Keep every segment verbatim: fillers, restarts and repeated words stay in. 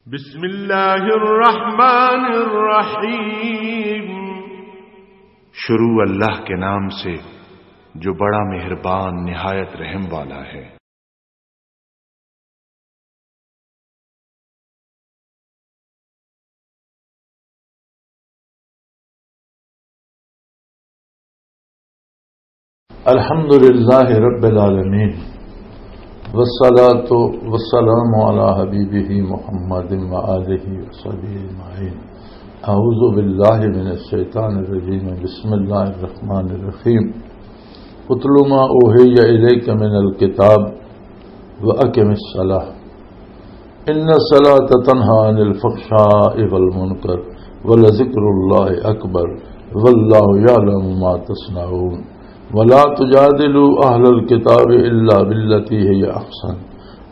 بسم اللہ الرحمن الرحیم۔ شروع اللہ کے نام سے، جو بڑا مہربان، نہایت رحم والا ہے۔ الحمد لله رب العالمين، والصلاة والسلام على حبيبه محمد وآله وصحبه أجمعين. أعوذ بالله من الشيطان الرجيم. بسم الله الرحمن الرحيم. اتل ما أوحي إليك من الكتاب وأقم الصلاة إن الصلاة تنهى عن الفحشاء والمنكر ولذكر الله أكبر والله يعلم ما تصنعون ولا تجادلوا أهل الكتاب إلا بالتي هي أحسن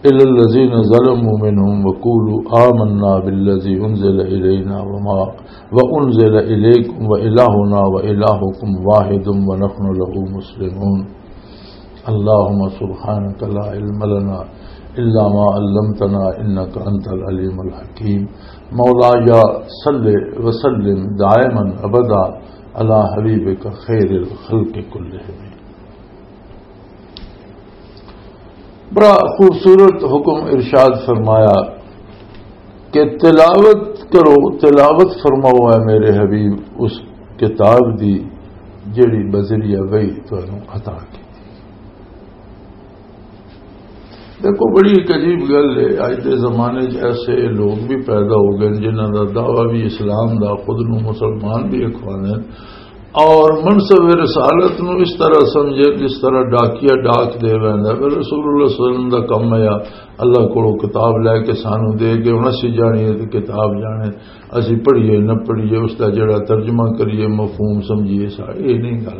إلا الذين ظلموا منهم وقولوا آمنا بالذي أنزل إلينا وما وأنزل إليكم وإلهنا وإلهكم واحد ونحن له مسلمون. اللهم سبحانك لا علم لنا إلا ما علمتنا إنك أنت العليم الحكيم. مولاي صل وسلم دائما أبدا على حبيبك خير الخلق كلهم. بڑا خوبصورت حکم ارشاد فرمایا کہ تلاوت کرو، تلاوت فرماؤ اے میرے حبیب اس کتاب دی جڑی بذریعہ وحی تانوں عطا کی۔ دیکھو، بڑی ایک عجیب گل ہے، اج دے زمانے 'چ ایسے لوگ بھی پیدا ہو گئے جنہاں دا دعویٰ بھی اسلام دا، خود نوں مسلمان بھی اخواندے اور منصب رسالت نوں اس طرح سمجھے جس طرح ڈاکیا ڈاک دے ویندا ہے۔ پر رسول اللہ صلی اللہ علیہ وسلم دا کم ہے، اللہ کولوں کتاب لے کے سانوں دے کے ہن اسی جانی ہے تے کتاب جانے، اسی پڑھیے نہ پڑھیے، اس دا جڑا ترجمہ کریے، مفہوم سمجھیے، سا-، یہ نہیں گل۔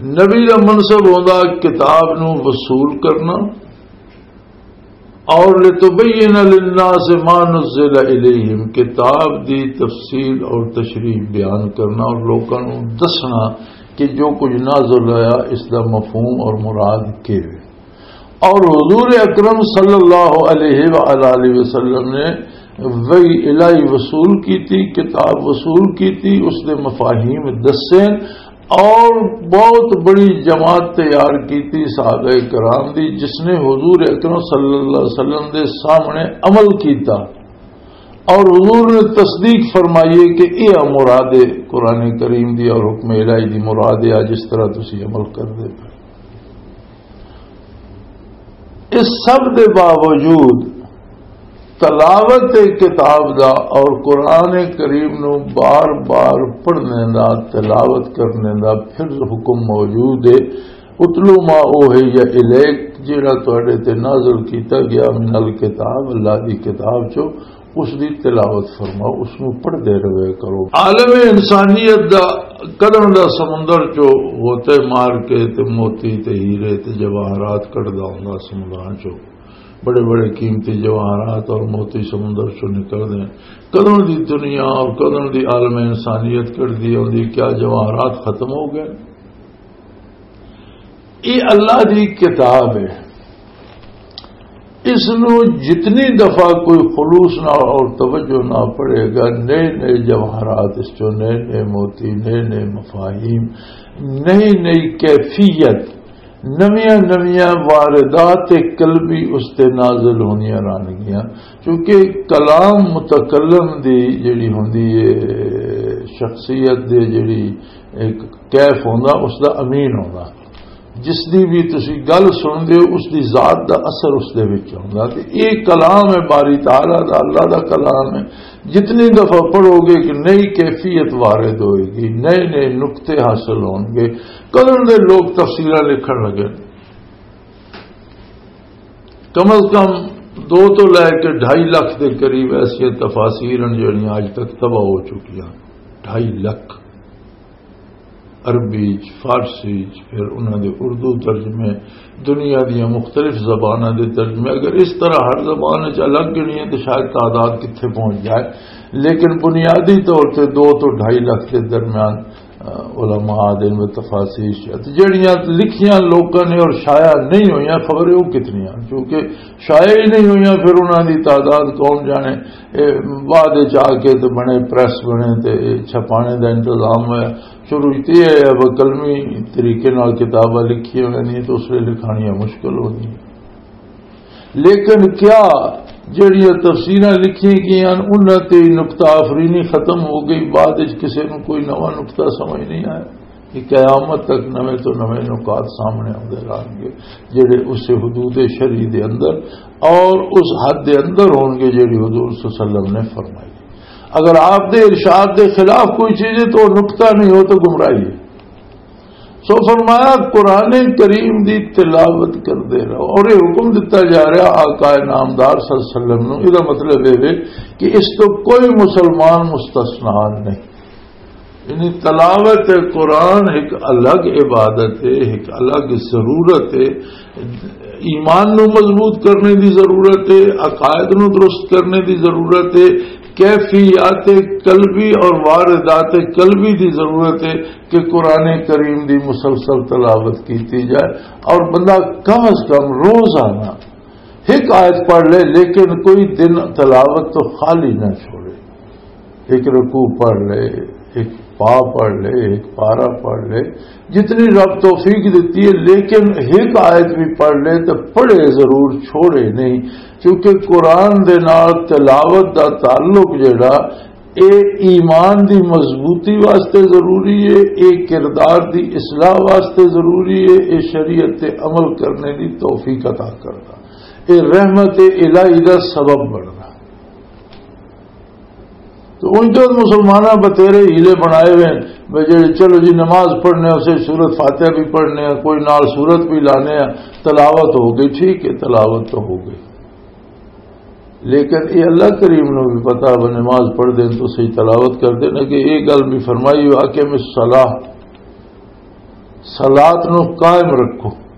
نبی دا منصب ہوندا کتاب نوں وصول کرنا، اور لتبین للناس ما نزل الیہم، کتاب دی تفصیل اور تشریح بیان کرنا اور لوکاں نوں دسنا کہ جو کچھ نازل ہویا اس دا مفہوم اور مراد کی ہے۔ اور حضور اکرم صلی اللہ علیہ وآلہ وسلم نے وحی الہی وصول کی تھی، کتاب وصول کی تھی، اس دے مفاہیم دسے، اور بہت بڑی جماعت تیار کی تھی صحابہ کرام دی، جس نے حضور اکرم صلی اللہ علیہ وسلم دے سامنے عمل کیتا اور حضور نے تصدیق فرمائی ہے کہ یہ مراد ہے قرآن کریم دی اور حکم الہی دی مراد ہے، جس طرح تسی عمل کر دے پے۔ اس سب دے باوجود تلاوت کتاب دا اور قرآن کریم نو بار بار پڑھنے دا، تلاوت کرنے دا پھر حکم موجود ہے۔ "اتلو ما اوحی الیک"، جڑا تواڈے تے نازل کیتا گیا، "من الکتاب"، اللہ دی کتاب چو، اس دی تلاوت فرماؤ، اس نو پڑھدے رہے کرو۔ عالم انسانیت دا کدن دا سمندر چو غوطے مار کے تے موتی تے ہیرے تے جواہرات کڈدا ہوندا سمندراں چو، بڑے بڑے قیمتی جواہرات اور موتی سمندر چو نکلدے ہیں۔ کدن دی دنیا اور کدن دی عالم انسانیت کڈدی ہوندی، کیا جواہرات ختم ہو گئے؟ یہ اللہ دی کتاب ہے، اس نو جتنی دفعہ کوئی خلوص نال اور توجہ نال پڑھے گا، نئے نئے جواہرات اس چوں، نئے نئے موتی، نئے نئے مفاہیم، نئی نئی کیفیت، نویاں نویاں واردات قلبی اس تے نازل ہونیاں رہنگیاں۔ کیونکہ کلام متکلم دی جڑی ہوندی ہے، شخصیت دے جڑی ایک کیف ہوندا، اس دا امین ہوندا۔ جس دی بھی تسی گل سن دے ہو، اس دی ذات دا اثر اس دے وچ ہوندا۔ تے اے کلام ہے باری تعالیٰ دا، اللہ دا کلام ہے۔ جتنی دفعہ پڑھو گے، ایک نئی کیفیت وارد ہوئے گی، نئے نئے نقطے حاصل ہون گے۔ کدن دے لوگ تفسیراں لکھن لگے، کم از کم دو تو لے کے ڈھائی لکھ دے قریب ایسیاں تفاسیر ہیں جڑیاں اج تک طبع ہو چکیاں۔ ڈھائی لکھ۔ عربی چ، فارسی چ، پھر انہاں دے اردو ترجمے، دنیا دیاں مختلف زباناں دے ترجمے۔ اگر اس طرح ہر زبان وچ الگ گنیے تو شاید تعداد کتھے پہنچ جائے، لیکن بنیادی طور تے دو تو ڈھائی لکھ دے درمیان، آ، علماء دے و تفاسیر شاید جڑیاں لکھیاں لوکاں نے اور شائع نہیں ہوئیاں، خبر ہے وہ کتنیاں، کیونکہ شائع ہی نہیں ہوئیاں، پھر انہاں دی تعداد کون جانے۔ اے بعد وچ آ کے تے بنے، پریس بنے تے چھپانے دا انتظام ہویا۔ شروع وچ تے اے ہے، قلمی طریقے نال کتاباں لکھیاں ہوئیاں نہیں تے اس ویلے لکھانیاں مشکل ہوندیاں۔ لیکن کیا جڑیاں تفسیراں لکھیاں گئیاں، انہاں تے ہی نقطہ آفرینی ختم ہو گئی، بعد وچ کسے نوں کوئی نواں نقطہ سمجھ نہیں آیا؟ کہ قیامت تک نویں تو نویں نکات سامنے آندے رہن گے، جڑے اس حدود شرعی دے اندر اور اس حد دے اندر ہون گے، جڑی حضور صلی اللہ علیہ وسلم نے فرمائی۔ اگر آپ دے ارشاد دے خلاف کوئی چیز ہے تو وہ نقطہ نہیں، ہو تو گمراہی ہے۔ سو فرمایا، قرآن کریم دی تلاوت کردے رہو، اور یہ حکم دتا جا رہا آقا نامدار صلی اللہ علیہ وسلم نو۔ یہ مطلب یہ وے کہ اس تو کوئی مسلمان مستثنا نہیں۔ یعنی تلاوت قرآن ایک الگ عبادت ہے، ایک الگ ضرورت ہے۔ ایمان نو مضبوط کرنے دی ضرورت ہے، عقائد نو درست کرنے دی ضرورت ہے، کیفیات قلبی اور واردات قلبی دی ضرورت ہے کہ قرآن کریم دی مسلسل تلاوت کیتی جائے، اور بندہ کم از کم روزانہ ایک آیت پڑھ لے، لیکن کوئی دن تلاوت تو خالی نہ چھوڑے۔ ایک رکوع پڑھ لے، ایک پا پڑھ لے، ایک پارا پڑھ لے، جتنی رب توفیق دیتی ہے، لیکن ایک آیت بھی پڑھ لے تو پڑھے ضرور، چھوڑے نہیں، کیونکہ قرآن دے نال تلاوت دا تعلق جڑا، اے ایمان دی مضبوطی واسطے ضروری ہے، اے کردار دی اصلاح واسطے ضروری ہے، اے شریعت تے عمل کرنے دی توفیق عطا کردا، اے رحمت الہی دا سبب بندا۔ تو ان جو مسلماناں بتیرے ہیلے بنائے ہوئے ہیں، بھئی جی چلو جی نماز پڑھنے اسے سورت فاتحہ بھی پڑھنے ہیں، کوئی نال سورت بھی لانے ہیں، تلاوت ہو گئی، ٹھیک ہے، تلاوت تو ہو گئی، لیکن یہ اللہ کریم نو بھی پتا وہ نماز پڑھ دیں تو صحیح تلاوت کر دیں کہ یہ گل بھی فرمائی ہو، اقیم الصلاۃ، صلات نو قائم رکھو۔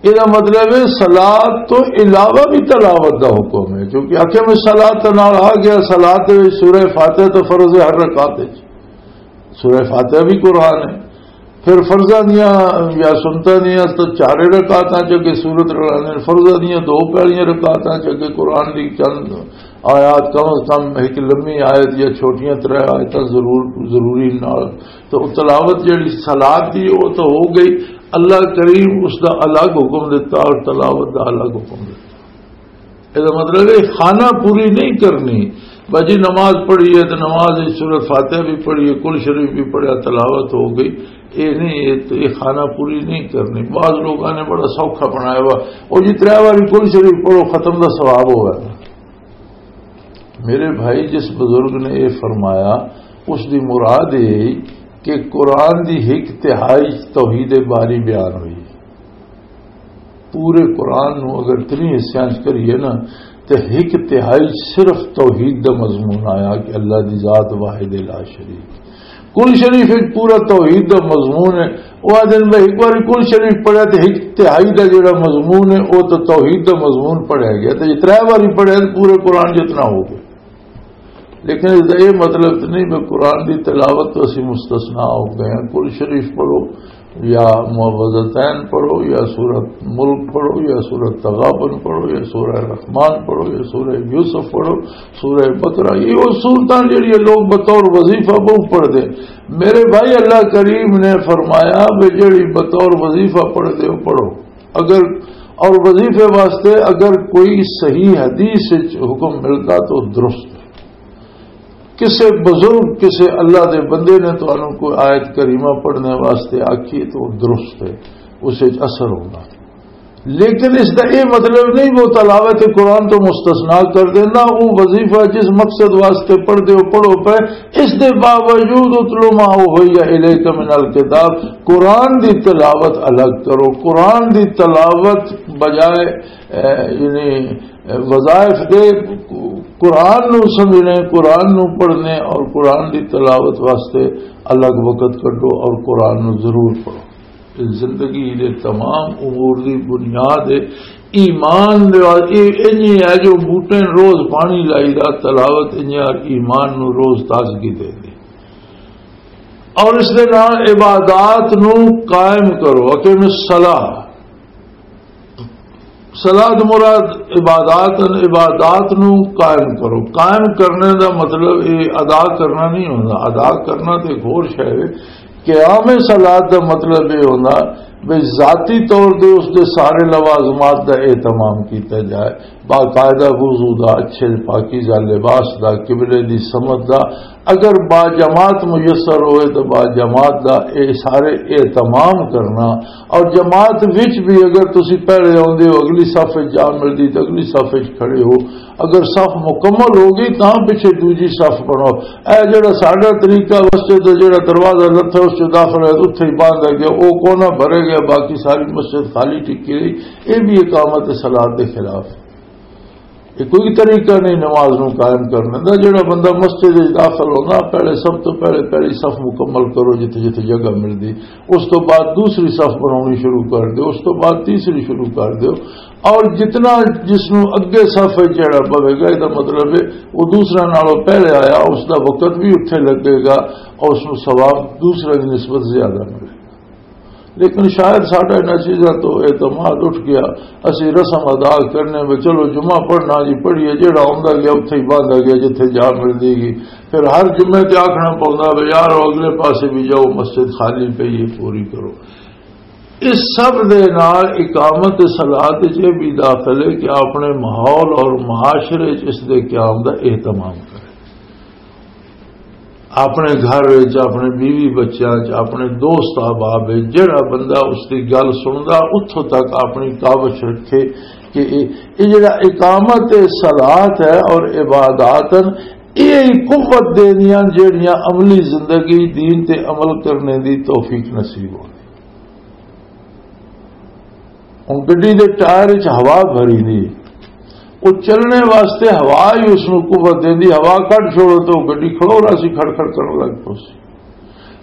یہ مطلب ہے صلات تو علاوہ بھی تلاوت دا حکم ہے، کیونکہ اقیم الصلاۃ نال آ گیا، صلات دے وچ سورہ فاتحہ تو فرض ہے ہر رکعت وچ، سورہ فاتحہ بھی قرآن ہے۔ پھر فرضاں دیاں یا سنتاں دیاں تو چارے رکعتاں چ اگے سورت رلانے، فرضاں دیاں دو پہلیاں رکعتاں چ اگے قرآن دی چند آیات، کم از کم ایک لمبی آیت یا چھوٹیاں ترے آیتاں ضرور، ضروری نال۔ تو تلاوت جڑی صلات دی، وہ تو ہو گئی۔ اللہ کریم اس دا الگ حکم دیتا اور تلاوت دا الگ حکم دیتا۔ یہ مطلب ہے خانہ پوری نہیں کرنی۔ بس جی نماز پڑھی ہے تو نماز وچ سورۃ فاتحہ بھی پڑھی ہے، کل شریف بھی پڑھیا، تلاوت ہو گئی۔ یہ نہیں، یہ تو، یہ خانہ پوری نہیں کرنی۔ بعض لوگوں نے بڑا سوکھا بنایا ہوا، وہ جی ترے بار کل شریف پڑھو، ختم دا ثواب ہوگا۔ میرے بھائی، جس بزرگ نے یہ فرمایا، اس دی مراد یہ کہ قرآن دی ایک تہائی توحید باری بیان ہوئی۔ پورے قرآن نو اگر تین حصیاں چ کریے نا، تے ایک تہائی صرف توحید دا مضمون آیا کہ اللہ دی ذات واحد لا شریک۔ کل شریف وچ پورا توحید دا مضمون ہے۔ وہ آدھے نے، "بھائی، ایک بار کل شریف پڑھیا تے ایک تہائی دا جڑا مضمون ہے، وہ تو توحید دا مضمون پڑھیا گیا، تے جے ترے بار پڑھیا تے پورے قرآن جتنا ہو گیا۔" لیکن اس دا یہ مطلب تو نہیں کہ قرآن دی تلاوت تو اسی مستثنا ہو گئے ہیں۔ کل شریف پڑھو یا معوذتین پڑھو یا سورت ملک پڑھو یا سورت تغابن پڑھو یا سورہ رحمان پڑھو یا سورہ یوسف پڑھو، سورہ بقرہ، یہ وہ سورتاں جڑی لوگ بطور وظیفہ بہت پڑھ دے۔ میرے بھائی، اللہ کریم نے فرمایا بھی جڑی بطور وظیفہ پڑھ دے، وہ پڑھو۔ اگر، اور وظیفے واسطے اگر کوئی صحیح حدیث وچ حکم ملتا تو درست ہے۔ کسے بزرگ، کسے اللہ دے بندے نے تانوں کوئی آیت کریمہ پڑھنے واسطے آکھی تو درست ہے، اس وچ اثر ہوگا۔ لیکن اس دا یہ مطلب نہیں وہ تلاوت قرآن تو مستثنا کر دینا۔ وہ وظیفہ جس مقصد واسطے پڑھ دے، وہ پڑھو پے، اس دے باوجود اتلو ما اوحی الیک من الکتاب، قرآن دی تلاوت الگ کرو۔ قرآن دی تلاوت بجائے، اے، یعنی، اے، وظائف دے، قرآن نو سمجھنے، قرآن نو پڑھنے اور قرآن دی تلاوت واسطے الگ وقت کڈو اور قرآن نو ضرور پڑھو۔ زندگی دے تمام امور دی بنیاد ہے ایمان دے وال-، اے انجے ہے جو بوٹے نوں روز پانی لائی دا، تلاوت انجے ہے ایمان نوں روز تازگی دے دے۔ اور اس دے نال عبادات نو قائم کرو۔ اقیم الصلاۃ، صلاۃ مراد عبادات، عبادات نو قائم کرو۔ قائم کرنے دا مطلب یہ ادا کرنا نہیں ہوندا۔ ادا کرنا تے ایک ہور شے ہے۔ قیام صلاۃ دا مطلب یہ ہوندا بھئی ذاتی طور تے اس دے سارے لوازمات دا اہتمام کیتا جائے، باقاعدہ وضو دا، اچھے پاکیزہ لباس دا، قبلے دی سمت دا۔ اگر با جماعت میسر ہوئے تو با جماعت دا اے سارے اہتمام کرنا، اور جماعت وچ بھی اگر تسی پہلے آندے ہو، اگلی صف وچ جا ملدی تو اگلی صف وچ کھڑے ہو، اگر صف مکمل ہو گئی تاں پچھے دوجی صف بناؤ۔ اے جڑا ساڈا طریقہ، مسجد دا جڑا دروازہ لتھا اس چ داخل ہوئے، اتھے ہی بند ہے گیا، او کونا بھرے گیا، باقی ساری مسجد خالی ٹکی رہی۔ یہ بھی اقامت صلاۃ دے خلاف ہے۔ یہ کوئی طریقہ نہیں نماز نو قائم کرنے دا۔ جڑا بندہ مسجد وچ داخل ہونا، پہلے، سب تو پہلے پہلی صف مکمل کرو جتھے جتھے جگہ ملدی، اس تو بعد دوسری صف بنانی شروع کر دو، اس تو بعد تیسری شروع کر دو، اور جتنا جس نو اگے صف وچ جڑا پوے گا، یہ مطلب ہے وہ دوسرا نالوں پہلے آیا، اس دا وقت بھی اتھے لگے گا اور اس نو ثواب دوسرے دی نسبت زیادہ ملے گا۔ لیکن شاید ساڈا انہاں چیزاں تو اعتماد اٹھ گیا، اسی رسم ادا کرنے میں چلو جمعہ پڑھنا جی پڑھیے، جیڑا آندا گیا اتھے ہی باندھا گیا جتھے جا ملدی گئی۔ پھر ہر جمعے تے آکھنا پوندا وے یار، او اگلے پاسے بھی جاؤ، مسجد خالی پئی ہے، پوری کرو۔ اس سب دے نال اقامت صلاۃ وچ یہ بھی داخل ہے کہ اپنے ماحول اور معاشرے وچ اس دے قیام دا اہتمام کرے۔ اپنے گھر وچ، اپنے بیوی بچیاں وچ، اپنے دوست احباب وچ جڑا بندہ اس دی گل سندا، اتھوں تک اپنی کاوش رکھے کہ یہ، یہ جڑا اقامت صلاۃ ہے اور عبادات ہیں، یہ ہی قوت دیندیاں جڑیاں عملی زندگی دین تے عمل کرنے دی توفیق نصیب ہو۔ ہن گڈی دے ٹائر وچ ہوا بھری دی، او چلنے واسطے ہوا ہی اس نوں قوت دیندی۔ ہوا کڈ چھوڑو تے او گڈی کھڑو رہا سی، کھڑ کھڑ کرن لگ پو سی۔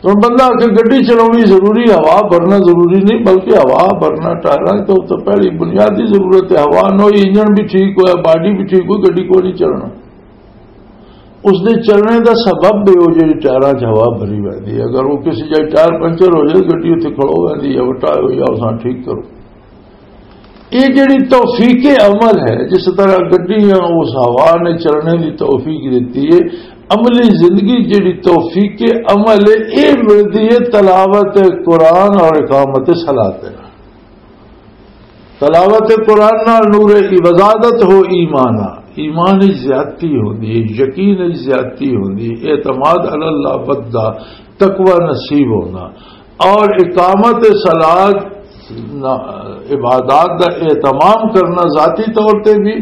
تو ہن بندہ آکھے گڈی چلاونی ضروری، ہوا بھرنا ضروری نہیں، بلکہ ہوا بھرنا ٹائراں تو، تو پہلی بنیادی ضرورت ہے۔ ہوا نہ ہوئی، انجن بھی ٹھیک ہویا، باڈی بھی ٹھیک ہوئی، گڈی کوئی نہیں چلنا۔ اس دے چلنے دا سبب بھی وہ جڑی ٹائراں چ ہوا بھری ویندی ہے۔ اگر وہ کسی جگہ ٹائر پنچر ہو جائے، گڈی اتھے کھڑو ویندی ہے، وٹا ہو یا اساں ٹھیک کرو۔ یہ جڑی توفیق عمل ہے، جس طرح گڈیاں اس ہوا نے چلنے دی توفیق دیتی ہے، عملی زندگی جڑی توفیق عمل ہے، یہ ملتی ہے تلاوت قرآن اور اقامت صلاۃ۔ تلاوت قرآن نال نور، وزادت ہو ایمانا، ایمان وچ زیادتی ہوندی ہے، یقین وچ زیادتی ہوندی ہے، اعتماد علی اللہ ودھدا، تقوی نصیب ہونا، اور اقامت صلاۃ، عبادات دا اہتمام کرنا ذاتی طور تے بھی،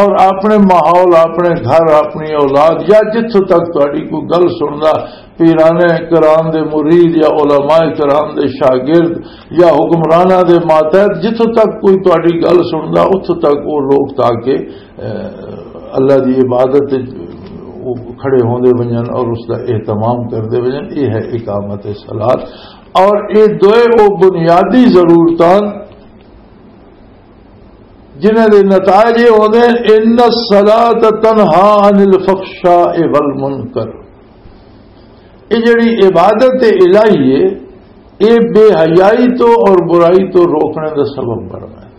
اور اپنے ماحول، اپنے گھر، اپنی اولاد، یا جتھوں تک تہاڈی کوئی گل سندا، پیرانے کرام دے مرید یا علماء کرام دے شاگرد یا حکمراناں دے ماتحت، جتھوں تک کوئی تہاڈی گل سندا، اتھوں تک وہ لوگ تاکہ، اے، اللہ دی عبادت وچ وہ کھڑے ہوندے ونجن اور اس دا اہتمام کردے ونجن۔ یہ ہے اقامت صلاۃ۔ اور یہ دوئے وہ بنیادی ضرورتاں جنہاں دے نتائج یہ ہوندے ہیں، ان الصلاۃ تنہا عن الفحشاء والمنکر۔ یہ جڑی عبادت الہی ہے، یہ بے حیائی تو اور برائی تو روکنے دا سبب بننا ہے۔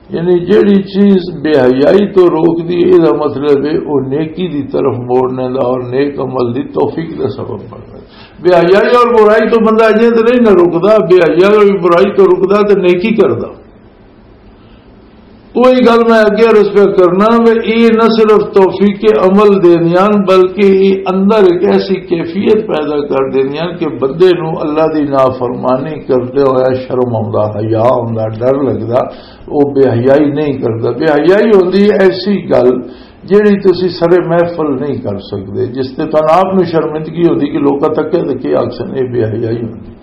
یعنی جڑی چیز بے حیائی تو روک دی، یہ دا مطلب ہے وہ نیکی دی طرف موڑنے دا اور نیک عمل دی توفیق دا سبب بننا ہے۔ بے حیائی اور برائی تو بندہ اجے تو نہیں نہ رکدا، بے حیائی اور برائی تو رکدا تو نیکی کردا۔ وہی گل میں اگے عرض پہ کرنا، میں یہ نہ صرف توفیق عمل دیندیاں، بلکہ یہ اندر ایک ایسی کیفیت پیدا کر دیندیاں کہ بندے نو اللہ دی نافرمانی کردے ہویا شرم آوندا، حیا آوندا، ڈر لگدا، وہ بے حیائی نہیں کردا۔ بے حیائی ہوندی ایسی گل جیڑی تسی سرے محفل نہیں کر سکدے، جس تے تن آپ نو شرمندگی ہوندی کہ لوکاں تکے تے کی آکھسن، اے بے حیائی ہوندی۔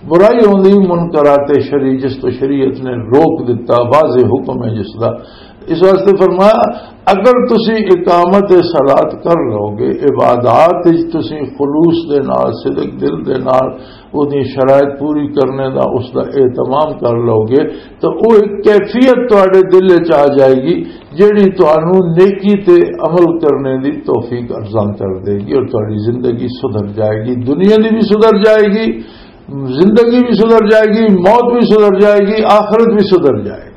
برائی ہوندی منکرات شریع، جس تو شریعت نے روک دتا، واضح حکم ہے جس دا۔ اس واسطے فرمایا، اگر تسی اقامت صلاۃ کر لو گے، عبادات وچ تسی خلوص دے نال، صدق دل دے نال، اودی شرائط پوری کرنے دا، اس دا اہتمام کر لو گے، تو وہ ایک کیفیت تواڈے دل وچ آ جائے گی، جیڑی تانوں نیکی تے عمل کرنے دی توفیق ارزان کر دے گی، اور تہاڈی زندگی سدھر جائے گی، دنیا دی بھی سدھر جائے گی، زندگی بھی سدھر جائے گی، موت بھی سدھر جائے گی، آخرت بھی سدھر جائے گی۔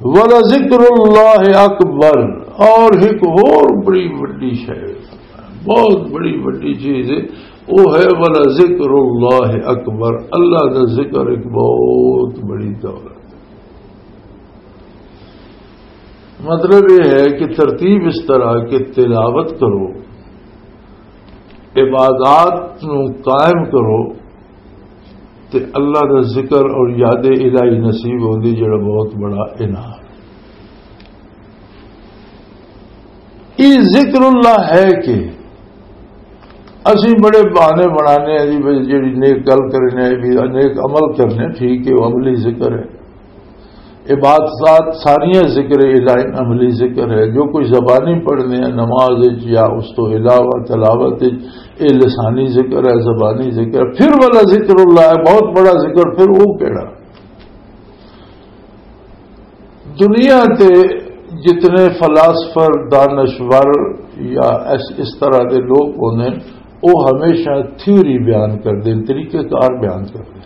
وَلَذِكْرُ اللَّهِ أَكْبَرُ، اور ایک اور بڑی وڈی شے، بہت بڑی وڈی چیز ہے، وہ ہے وَلَذِكْرُ اللَّهِ أَكْبَرُ، اللہ کا ذکر ایک بہت بڑی دولت۔ مطلب یہ ہے کہ ترتیب اس طرح کہ تلاوت کرو، عبادات نو قائم کرو، تے اللہ دا ذکر اور یاد الہی نصیب ہوندی، جڑا بہت بڑا انعام۔ یہ ذکر اللہ ہے کہ اسی بڑے بہانے بنانے ہیں جی، بھئی جڑی نیک گل کرنے ہیں، بھی نیک عمل کرنے، ٹھیک ہے، وہ عملی ذکر ہے۔ عبادات ساریاں ذکر الہی، عملی ذکر ہے۔ جو کوئی زبانی پڑھنے ہیں نماز وچ یا اس تو علاوہ تلاوت وچ، اے لسانی ذکر ہے، زبانی ذکر ہے۔ پھر والا ذکر اللہ ہے، بہت بڑا ذکر۔ پھر وہ کیڑا؟ دنیا تے جتنے فلاسفر، دانشور یا اس، اس طرح دے لوگ ہوندے ہیں، وہ ہمیشہ تھیوری بیان کردے ہیں، طریقہ کار بیان کردے ہیں،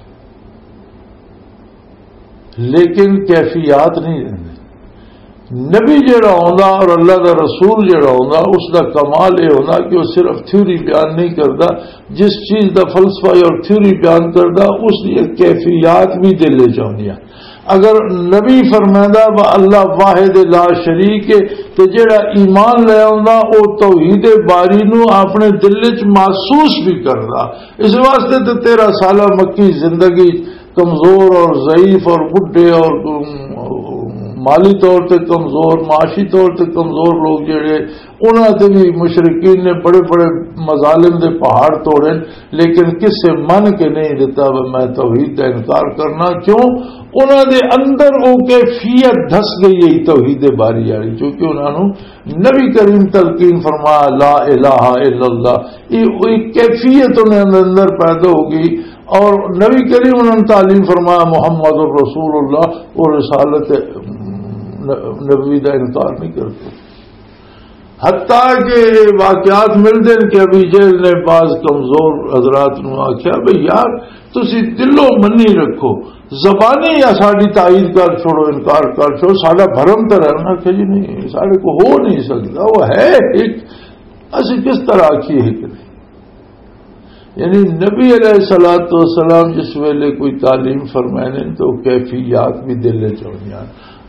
لیکن کیفیات نہیں دیندے۔ نبی جڑا ہوندا اور اللہ دا رسول جڑا ہوندا، اس دا کمال یہ ہوندا کہ وہ صرف تھیوری بیان نہیں کردا، جس چیز دا فلسفہ اور تھیوری بیان کردا، اس دی کیفیات بھی دل وچ ہوندیاں۔ اگر نبی فرمائندا وا اللہ واحد لا شریک ہے، تے جڑا ایمان لے آوندا، او توحید باری نو اپنے دل وچ محسوس بھی کردا۔ اس واسطے تے تیرہ سالہ مکی زندگی کمزور اور ضعیف اور بڈھے اور، ام، مالی طور تے کمزور، معاشی طور تے کمزور لوگ جڑے، انہاں تے بھی مشرکین نے بڑے بڑے مظالم دے پہاڑ توڑے، لیکن کسے من کے نہیں دیتا، "وہ میں توحید کا انکار کرنا۔" کیوں؟ انہاں دے اندر وہ کیفیت دھس گئی ہے توحید باری والی، کیونکہ انہاں نوں نبی کریم تلقین فرمایا، "لا الہ الا اللہ۔" یہ، یہ کیفیت انہاں دے اندر پیدا ہو گئی، اور نبی کریم انہوں نے تعلیم فرمایا، "محمد رسول اللہ"، اور رسالت نبوی کا انکار نہیں کرتے۔ حتیٰ کہ یہ واقعات ملتے ہیں کہ ابی جہل نے بعض کمزور حضرات نو آخیا، "بھئی یار، تسی دلوں منی رکھو، زبانی یا ساڈی تائید کر چھوڑو، انکار کر چھوڑو، ساڈا بھرم تو رہنا۔" کہ جی نہیں، ساڈے کو ہو نہیں سکتا، وہ ہے ایک، اسی کس طرح آکھیے ایک نہیں۔ یعنی نبی علیہ الصلوۃ والسلام جس ویلے کوئی تعلیم فرمائے نے تو کیفیات بھی دل وچ ہوندیاں۔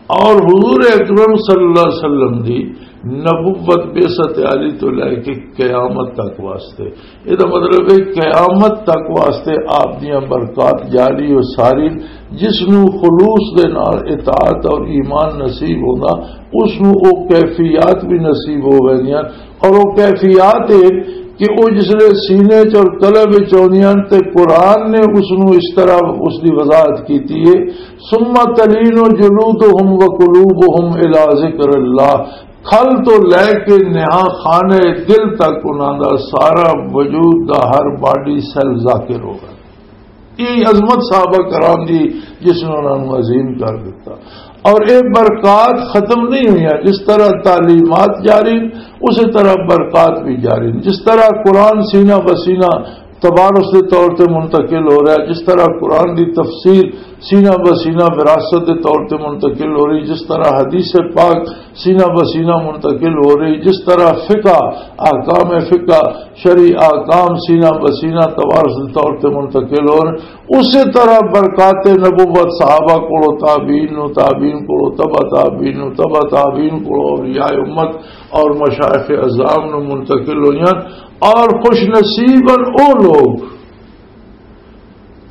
اور حضور اکرم صلی اللہ علیہ وسلم دی نبوت، بعثت عالی تو لے کے قیامت تک واسطے، یہ مطلب ہے قیامت تک واسطے آپ دیاں برکات جاری و ساری، جس نو خلوص دے نال اطاعت اور ایمان نصیب ہوندا، اس نو او کیفیات بھی نصیب ہو ویندیاں۔ اور وہ کیفیات ہے کہ وہ جس لے سینے چ اور قلب وچ آندیاں تے قرآن نے اس نو اس طرح اس دی وضاحت کیتی ہے، "ثم تلین جلودہم وقلوبہم الی ذکر اللہ۔" کھل تو لے کے نہا خانے دل تک انہاں دا سارا وجود دا ہر باڈی سیل ذاکر ہوگا۔ یہ عظمت صحابہ کرام دی، جس نے انہاں نوں عظیم کر دیتا۔ اور یہ برکات ختم نہیں ہوئی ہیں، جس طرح تعلیمات جاری ہیں، اسی طرح برکات بھی جاری ہیں۔ جس طرح قرآن سینہ بہ سینہ تبارس دے طور تے منتقل ہو رہا ہے، جس طرح قرآن دی تفسیر سینہ بہ سینہ وراثت دے طور تے منتقل ہو رہی، جس طرح حدیث پاک سینہ بہ سینہ منتقل ہو رہی، جس طرح فقہ، احکام فقہ، شرعی احکام سینہ بہ سینہ توارث دے طور تے منتقل ہو رہے، اسی طرح برکات نبوت صحابہ کولو، تابعین نو، تابعین کولو، تبع تابعین نو، تبع تابعین کولو، اولیاء امت اور مشائخ عظام نو منتقل ہوئیاں۔ اور خوش نصیبن او لوگ،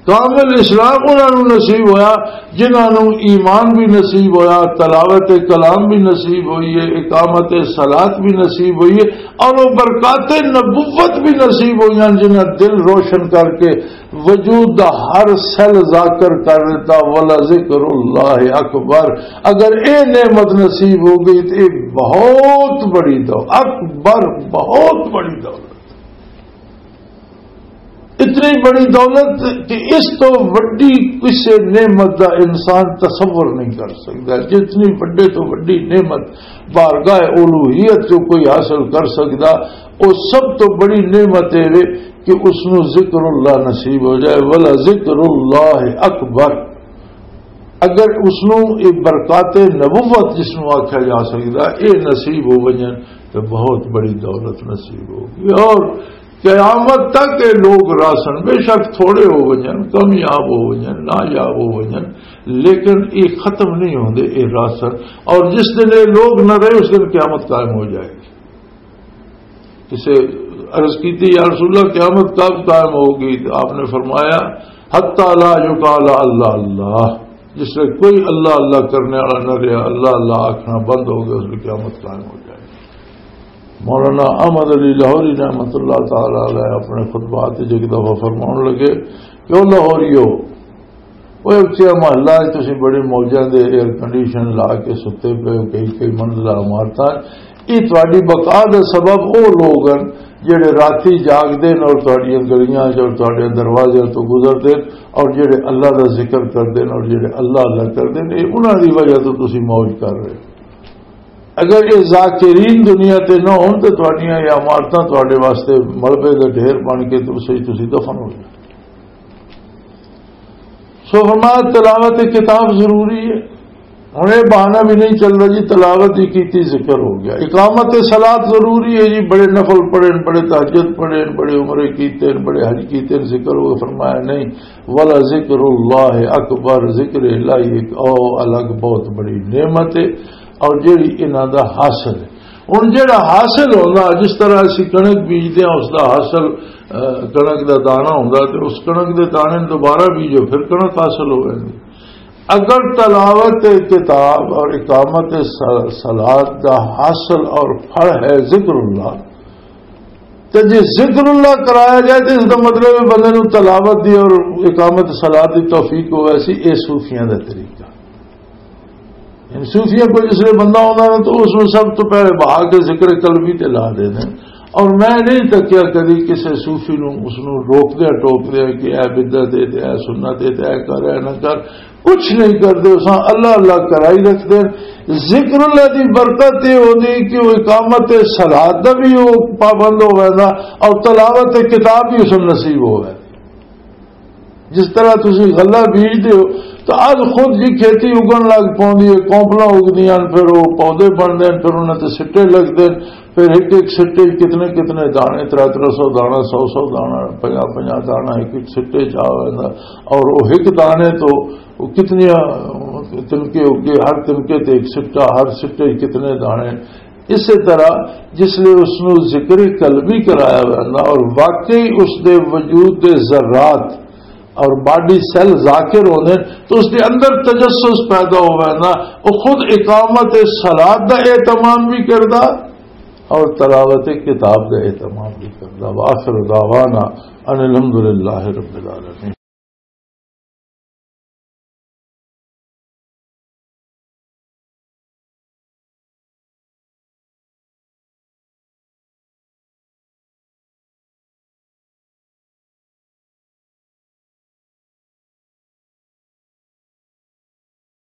کامل اسلام انہاں نوں نصیب ہویا، جنہاں نوں ایمان بھی نصیب ہویا، تلاوت کلام بھی نصیب ہوئی ہے، اقامت صلات بھی نصیب ہوئی ہے، اور وہ برکات نبوت بھی نصیب ہوئی ہیں، جنہاں دل روشن کر کے وجود دا ہر سیل ذاکر کر دیتا۔ "ولذکر اللہ اکبر"، اگر اے نعمت نصیب ہو گئی تو یہ بہت بڑی دولت، اکبر، بہت بڑی دولت۔ یہ اتنی بڑی دولت کہ اس تو وڈی کسی نعمت دا انسان تصور نہیں کر سکتا۔ جتنی وڈے تو وڈی نعمت بارگاہ الوہیت جو کوئی حاصل کر سکتا، وہ سب تو بڑی نعمت ہے کہ اس نو ذکر اللہ نصیب ہو جائے۔ ولا ذکر اللہ اکبر۔ اگر اس نو یہ برکات نبوت جس نو آکھیا جا سکتا، یہ نصیب ہو ونجن تو بہت بڑی دولت نصیب ہوگی۔ اور قیامت تک یہ لوگ راسن بے شک تھوڑے ہو ونجن، کمیاب ہو ونجن، نایاب ہو ونجن، لیکن یہ ختم نہیں ہوندے یہ راسن۔ اور جس دن یہ لوگ نہ رہے، اس دن قیامت قائم ہو جائے گی۔ اسے عرض کی تھی، "یا رسول اللہ، قیامت کب قائم ہوگی؟" تو آپ نے فرمایا، "حتی لا یقال اللہ اللہ۔" جس سے کوئی اللہ اللہ کرنے والا نہ رہا، اللہ اللہ آکھنا بند ہو گیا، اس کی قیامت قائم ہو جائے۔ مولانا احمد علی لاہوری رحمۃ اللہ تعالی علیہ اپنے خطبات وچ ایک دفعہ فرماؤن لگے کہ او لاہوریو، اوہ اچیا محلہ ہے، تسی بڑی موجاں دے ایئر کنڈیشن لا کے ستے پے ہو، کئی کئی منزلہ عمارتاں۔ یہ تہاڈی بقا دا سبب او لوگ ہن جڑے راتی جاگدے نے اور تہاڈیاں گلیاں چ اور تہاڈے دروازے تو گزردے نے اور جڑے اللہ دا ذکر کردے نے اور جڑے اللہ اللہ کردے نے، یہ انہاں دی وجہ تو تسی موج کر رہے ہو۔ اگر یہ ذاکرین دنیا تے نہ ہون تے تہاڈیاں یہ عمارتاں تہاڈے واسطے ملبے دے ڈھیر بن کے تے اسے وچ تسی دفن ہو جاندے۔ سو فرمایا، تلاوت کتاب ضروری ہے۔ ہن یہ بہانہ بھی نہیں چلدا جی، تلاوت ہی کیتی، ذکر ہو گیا۔ اقامت صلات ضروری ہے جی، بڑے نفل پڑھے، بڑے تہجد پڑھے، بڑے عمرے کیتے، بڑے حج کیتے، ذکر ہو گیا۔ فرمایا نہیں، ولا ذکر اللہ اکبر، ذکر الہی ایک او الگ بہت بڑی نعمت ہے، اور جیڑی انہاں دا حاصل ہے۔ ہن جیڑا حاصل ہوندا، جس طرح اسی کنک بیجدے ہاں، اس دا حاصل، اہ، کنک دا دانا ہوندا، تے اس کنک دے دانے نوں دوبارہ بیجو، پھر کنک حاصل ہوے۔ اگر تلاوت کتاب اور اقامت س-، صلات دا حاصل اور پھل ہے ذکر اللہ، تے جے ذکر اللہ کرایا جائے تے اس دا مطلب ہے بندے نوں تلاوت دی اور اقامت صلات دی توفیق ہوے سی۔ اے صوفیاں دا طریقہ۔ یعنی صوفیاں کو جس لئے بندہ ہونا ہے تو اس میں سب تو پہلے بہا کے ذکر قلبی تے لا دے دیں۔ اور میں نہیں تکیا کدی کسی صوفی نو اس نو روک دیا، ٹوک دیا کہ اے بدعت ہے تے اے سنت ہے تے اے کر، اے نہ کر، کچھ نہیں کردے۔ اساں اللہ اللہ کرائی رکھ دے۔ ذکر اللہ دی برکت یہ ہوندی کہ وہ اقامت صلات دا بھی وہ پابند ہو ویندا اور تلاوت کتاب بھی اس نوں نصیب ہو ویندا۔ جس طرح تسی غلہ بیجدے ہو تو اج خود جی کھیتی اگن لگ پوندی ہے، کونپلاں اگدیاں ہن، پھر وہ پودے بندے ہن، پھر انہاں تے سٹے لگدے ہن، پھر ایک ایک سٹے وچ کتنے کتنے دانے، ترے ترے سو دانا، سو سو دانا، پنجاہ پنجاہ دانا ایک ایک سٹے چ آ ویندا۔ اور وہ ایک دانے تو وہ کتنیاں تنکے اگے، ہر تنکے تے ایک سٹا، ہر سٹے وچ کتنے دانے۔ اسی طرح جس لئے اس نو ذکر قلبی کرایا ویندا اور واقعی اس دے وجود دے ذرات اور باڈی سیل ذاکر ہوندے تو اس دے اندر تجسس پیدا ہو ویندا۔ وہ خود اقامت صلات دا اہتمام بھی کردا اور تلاوت کتاب دا اہتمام بھی کردا۔ وآخر دعوانا ان الحمدللہ رب العالمین۔